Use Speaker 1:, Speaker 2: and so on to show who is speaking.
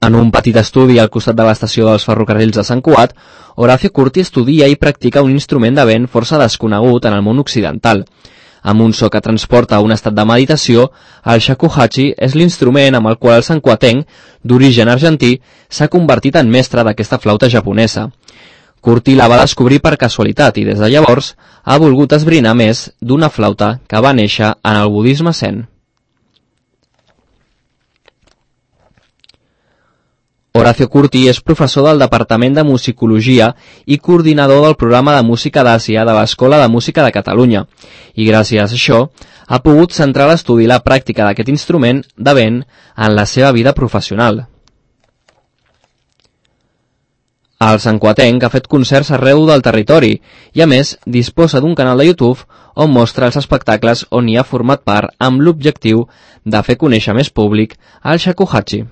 Speaker 1: En un petit estudi al costat de l'estació dels ferrocarrils de Sant Cugat, Horacio Curti estudia i practica un instrument de vent força desconegut en el món occidental. Amb un so que transporta a un estat de meditació, el shakuhachi és l'instrument amb el qual el santcuatenc, d'origen argentí, s'ha convertit en mestre d'aquesta flauta japonesa. Curti la va descobrir per casualitat i des de llavors ha volgut esbrinar més d'una flauta que va néixer en el budisme zen. Horacio Curti és professor del Departament de Musicologia i coordinador del programa de Música d'Àsia de l'Escola de Música de Catalunya, i gràcies a això ha pogut centrar l'estudi i la pràctica d'aquest instrument de vent en la seva vida professional. El santcuatenc ha fet concerts arreu del territori i, a més, disposa d'un canal de YouTube on mostra els espectacles on hi ha format part amb l'objectiu de fer conèixer més públic el shakuhachi.